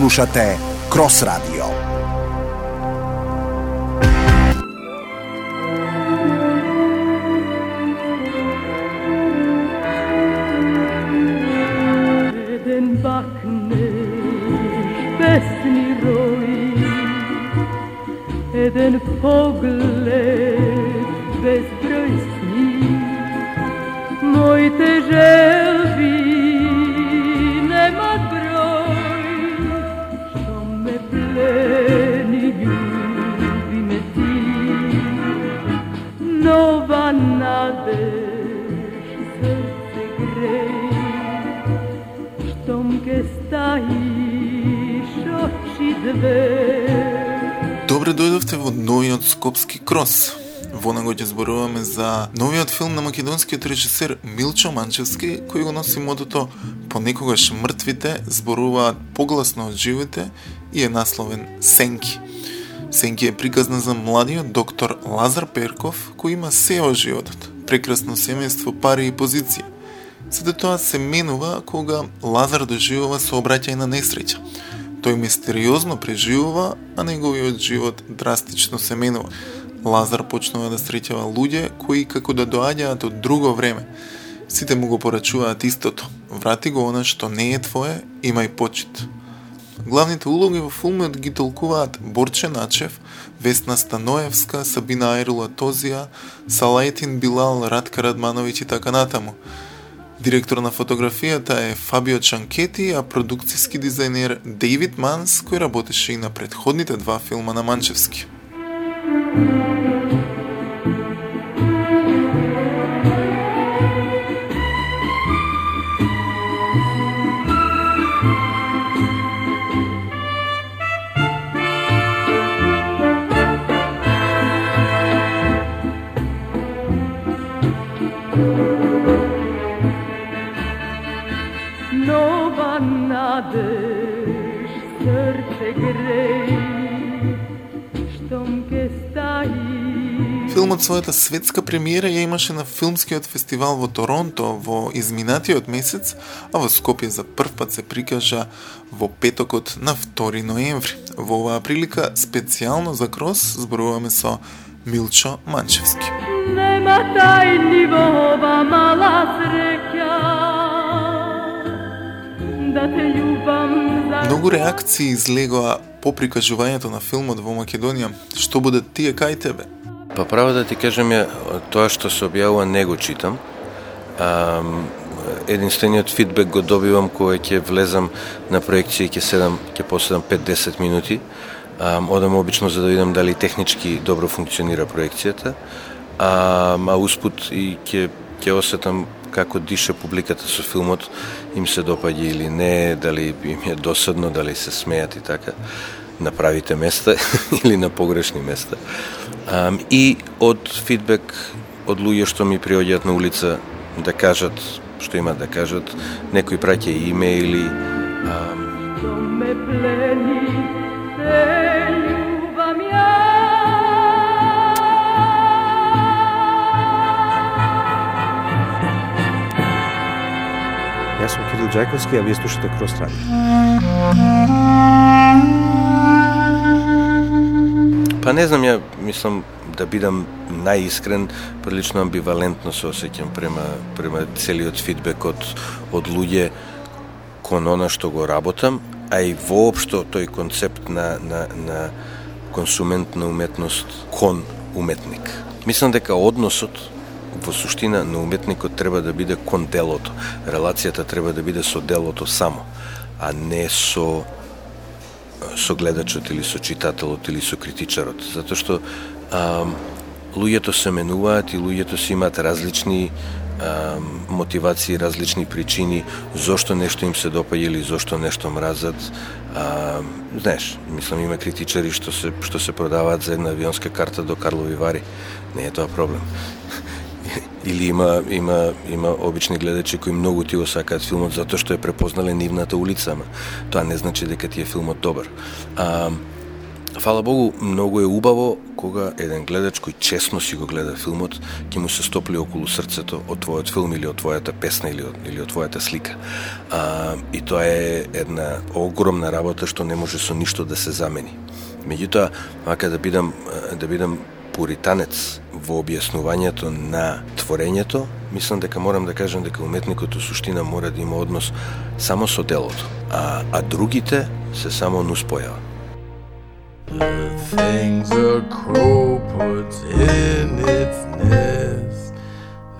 Слушате Крос Радио. Еден бакне песни рои, еден поглед безброј сни, моите желби немат број, што ме плени, љуби ме ти, нова надеж, срце греј, штом ке стаиш очи две. Добре дојдовте во новиот Скопски крос. Во него ќе зборуваме за новиот филм на македонскиот режисер Милчо Манчевски, кој го носи мотото "Понекогаш мртвите зборуваат погласно од живите" и е насловен Сенки. Сенки е приказна за младиот доктор Лазар Перков, кој има се од животот: прекрасно семејство, пари и позиција. Сето тоа се менува кога Лазар доживува сообраќајна несреќа. Тој мистериозно преживува, а неговиот живот драстично се менува. Лазар почнува да среќава луѓе кои како да доаѓаат од друго време. Сите му го порачуваат истото: врати го она што не е твое, имај почит. Главните улоги во филмот ги толкуваат Борче Начев, Весна Станоевска, Сабина Айрула Тозија, Салајтин Билал, Радка Радмановиќ и така натаму. Директор на фотографијата е Фабио Чанкети, а продукцијски дизајнер Дейвид Манс, кој работеше и на претходните два филма на Манчевски. Нова надеж, срце греј, штом ке стаиш. Филмот својата светска премиера ја имаше на филмскиот фестивал во Торонто во изминатиот месец, а во Скопје за прв пат се прикажа во петокот на 2 ноември. Во оваа прилика специјално за Крос зборуваме со Милчо Манчевски. Нема тајни во ова мала среќа, да те љубам за... Многу реакции излегоа по прикажувањето на филмот во Македонија. Што будат тие кај тебе? Па право да ти кажам, тоа што се објавува не го читам. Единствениот фидбек го добивам кога ќе влезам на проекција и ќе поседам 5-10 минути. Одам обично за да видам дали технички добро функционира проекцијата, а успут и ќе осетам како диша публиката со филмот, им се допаѓа или не, дали им е досадно, дали се смеат и така на правите места или на погрешни места. И од фидбек од луѓе што ми приоѓаат на улица да кажат што имаат да кажат, некои праќа и имејли. Што ме плени, те љубам ја. Јас сум Кирил Ѓајковски, а вие слушате Крос Радио. Па не знам, ја мислам да бидам најискрен, прилично амбивалентно се осеќам према целиот фидбек од луѓе кон она што го работам, а и воопшто тој концепт на консумент на уметност кон уметник. Мислам дека односот во суштина на уметникот треба да биде кон делото. Релацијата треба да биде со делото само, а не со гледачот или со читателот или со критичарот. Затоа што луѓето се менуваат и луѓето си имаат различни мотивации, различни причини зошто нешто им се допаѓа или зошто нешто мразат. Знаеш, мислам има критичари што се продаваат за една авионска карта до Карлови Вари. Не е тоа проблем. Или има обични гледачи кои многу ти го сакаат филмот затоа што е препознале нивната улица, ама тоа не значи дека ти е филмот добар. Фала Богу, многу е убаво кога еден гледач кој честно си го гледа филмот, ќе му се стопли околу срцето од твојот филм или од твојата песна или од твојата слика. И тоа е една огромна работа што не може со ништо да се замени. Меѓутоа, мака да бидам пуританец во објаснувањето на творењето, мислам дека морам да кажам дека уметникот суштина мора да има однос само со делото, а другите се само нуспојава. The things a crow puts in its nest,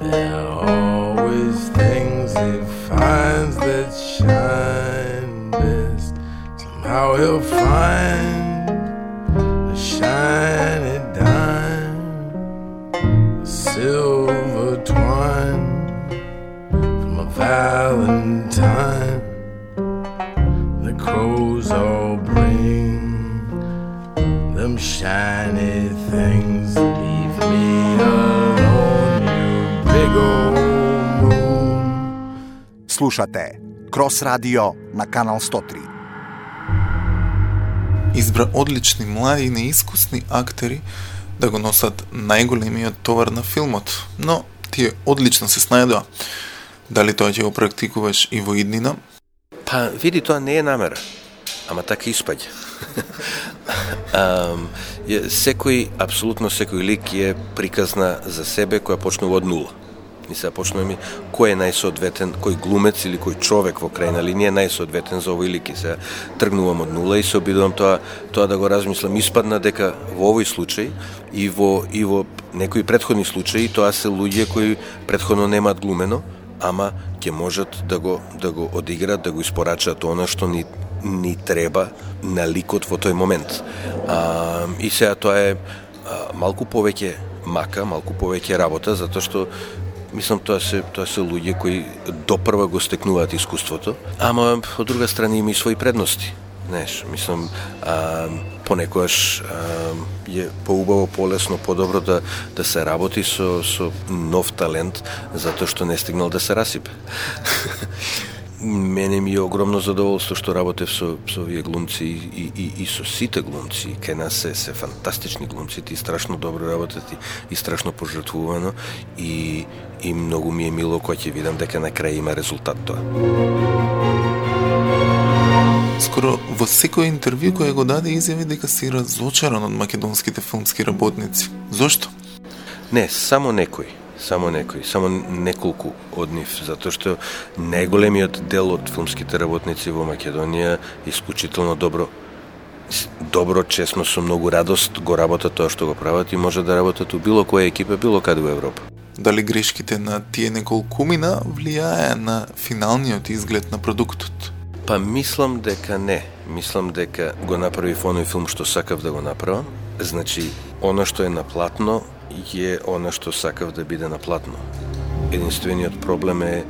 there are always things it finds that shine best. Somehow he'll find a shiny dime, a silver twine from a valentine. The crows all bring them shiny things. Leave me alone, you big old moon. Слушате Крос Радио на Канал 103. Избра одлични млади и неискусни актери да го носат најголемиот товар на филмот, но тие одлично се снајдоа. Дали тоа ќе го практикуваш и во иднина? Па, види, тоа не е намера, ама така испаѓа. Апсолутно секој лик е приказна за себе која почнува од нула. И сега почнуваме кој е најсоодветен, кој глумец или кој човек во крајна линија е најсоодветен за овој лик. И сега тргнувам од нула и се обидувам тоа да го размислам. Испадна дека во овој случај и во некои претходни случаи тоа се луѓе кои претходно немаат глумено, ама ќе можат да го одиграат, да го испорачаат она што ни треба на ликот во тој момент. И сега тоа е малку повеќе мака, малку повеќе работа, затоа што мислам тоа се луѓе кои допрва го стекнуваат искуството, ама од друга страна има и своји предности. Знаеш, мислам, понекогаш е поубаво, полесно, подобро да се работи со нов талент, затоа што не стигнал да се расипе. Мене ми е огромно задоволство што работев со овие глумци и со сите глумци. Кај нас се фантастични глумци, и страшно добро работат и страшно пожртвувано и многу ми е мило кога ќе видам дека на крај има резултат тоа. Скоро во секој интервју кој го даде изјави дека си разочаран од македонските филмски работници. Зошто? Не, само неколку од нив, затоа што најголемиот дел од филмските работници во Македонија исклучително добро, честно, со многу радост го работат тоа што го прават и може да работат у било која екипа, било каде во Европа. Дали грешките на тие неколкумина влијае на финалниот изглед на продуктот? Па мислам дека не. Мислам дека го направив оној филм што сакав да го направам. Значи, она што е на платно е она што сакав да биде на платно. Единствениот проблем е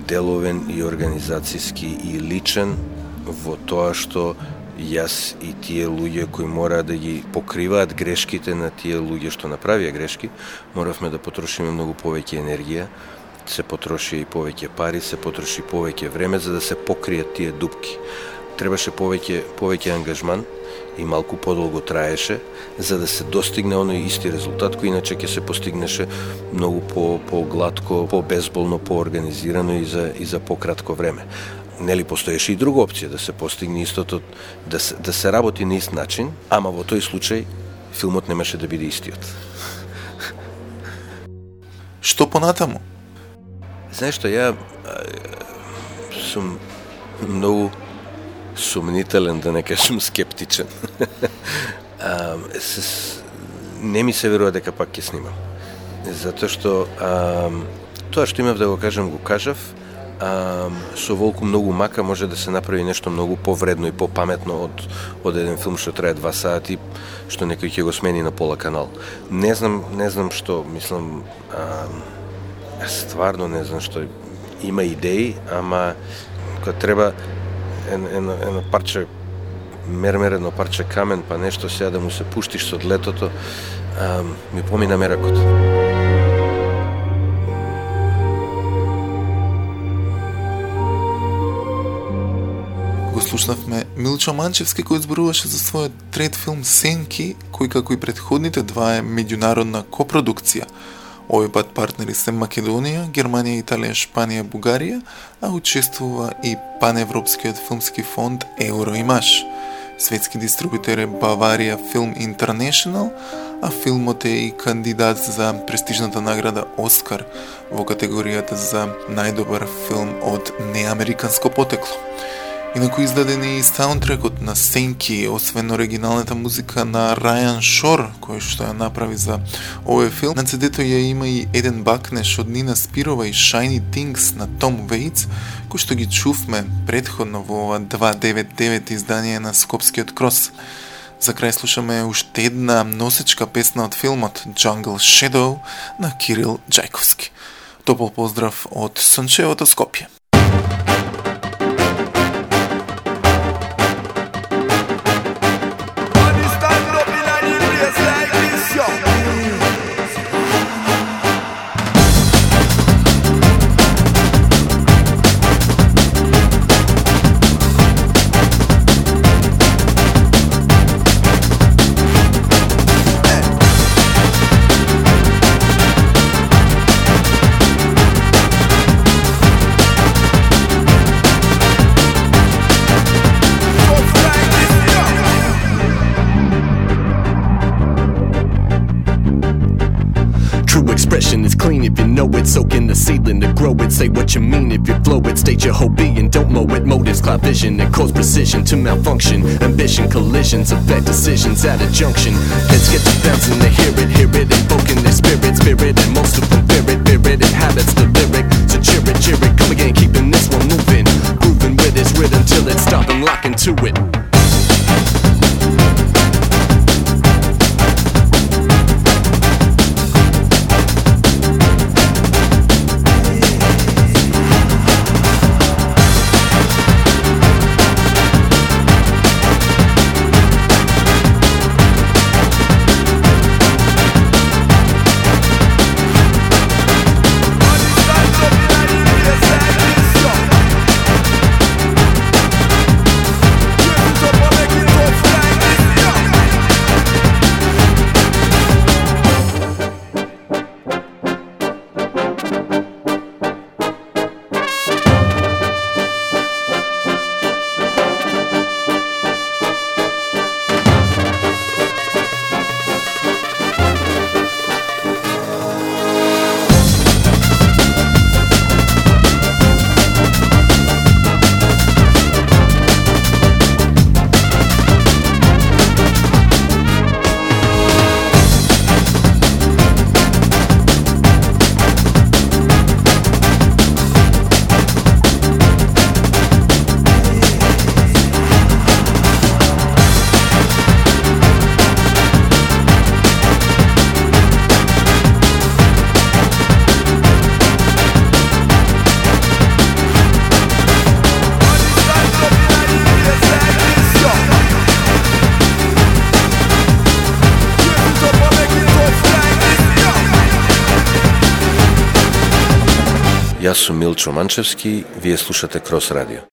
деловен и организацијски и личен во тоа што јас и тие луѓе кои мора да ги покриваат грешките на тие луѓе што направија грешки, моравме да потрошиме многу повеќе енергија, се потроши и повеќе пари, се потроши повеќе време за да се покријат тие дупки. Требаше повеќе ангажман и малку подолго траеше за да се достигне оној исти резултат кој иначе ќе се постигнеше многу по-гладко, по-безболно, по-организирано и за пократко време. Нели постоеше и друга опција да се постигне истото, да се работи на ист начин, ама во тој случај филмот немаше да биде истиот. Што понатаму? Знаеш што, ја сум многу сумнителен, да не кажем скептичен. Не ми се верува дека пак ќе снимам. Затоа што тоа што имав да го кажам, го кажав. Со волку многу мака може да се направи нешто многу повредно и попаметно од еден филм што трае 2 сати, што некој ќе го смени на пола канал. Не знам што, мислам, стварно не знам што, има идеи, ама кога треба едно парче мермер, едно парче камен, па нешто сега да му се пуштиш со длетото, ми помина меракот. Го слушнавме Милчо Манчевски кој зборуваше за својот трет филм Сенки, кој како и претходните два е меѓународна копродукција. Овој пат партнери се Македонија, Германија, Италија, Шпанија, Бугарија, а учествува и паневропскиот филмски фонд Евроимаж. Светски дистрибутер е Баварија Film International, а филмот е и кандидат за престижната награда Оскар во категоријата за најдобар филм од неамериканско потекло. Инаку издаден е и саундтрекот на Сенки, освен оригиналната музика на Рајан Шор, кој што ја направи за овој филм. На CD-то ја има и еден бакнеш од Нина Спирова и Shiny Things на Том Вејц, кој што ги чувме предходно во ова 299 издание на Скопскиот крос. За крај слушаме уште една носечка песна од филмот Jungle Shadow на Кирил Джајковски. Топол поздрав од сончевото Скопје. Expression is clean if you know it. Soak in the seedling to grow it. Say what you mean if you flow it. State your whole being, don't mow it. Motives cloud vision and cause precision to malfunction. Ambition collisions affect decisions at a junction. Heads get to bouncing, they hear it, invoking their spirit, and most of them fear it, inhabits the lyric. So cheer it, come again, keeping this one moving, grooving with its rhythm till it's stopping, locking to it. Јас сум Милчо Манчевски, вие слушате Крос Радио.